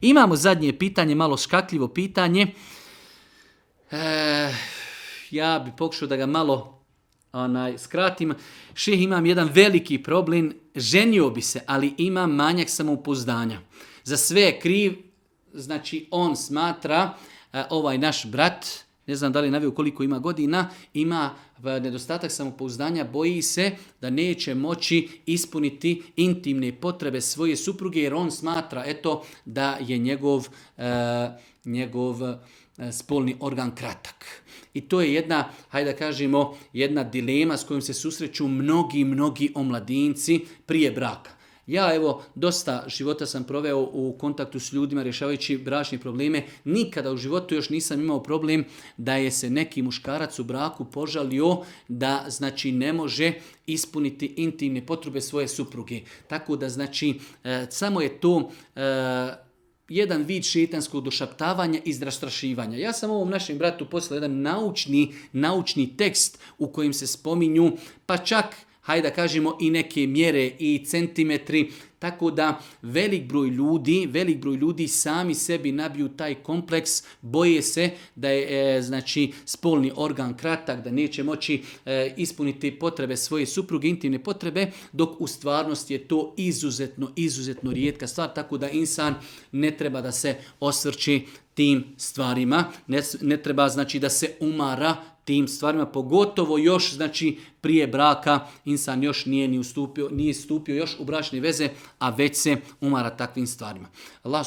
Imamo zadnje pitanje, malo škakljivo pitanje. Ja bi pokušao da ga malo skratim. Šejh, imam jedan veliki problem, ženio bi se, ali imam manjak samopouzdanja. Za sve je kriv, znači on smatra, ovaj naš brat, ne znam da li je naveo koliko ima godina, ima nedostatak samopouzdanja, boji se da neće moći ispuniti intimne potrebe svoje supruge, jer on smatra da je njegov spolni organ kratak. I to je jedna, hajde da kažemo, jedna dilema s kojom se susreću mnogi omladinci prije braka. Ja dosta života sam proveo u kontaktu s ljudima rješavajući bračne probleme. Nikada u životu još nisam imao problem da je se neki muškarac u braku požalio da znači ne može ispuniti intimne potrebe svoje supruge. Tako da znači samo je to jedan vid šejtanskog došaptavanja i zastrašivanja. Ja sam ovom našem bratu poslao jedan naučni tekst u kojem se spominju, pa čak, hajde da kažemo, i neke mjere i centimetri, tako da velik broj ljudi sami sebi nabiju taj kompleks, boje se da je znači spolni organ kratak, da neće moći ispuniti potrebe svoje supruge, intimne potrebe, dok u stvarnosti je to izuzetno rijetka stvar, tako da insan ne treba da se osvrći tim stvarima, ne treba znači da se umara tim stvarima, pogotovo još znači prije braka insan još nije stupio još u bračne veze, a već se umara takvim stvarima. Allah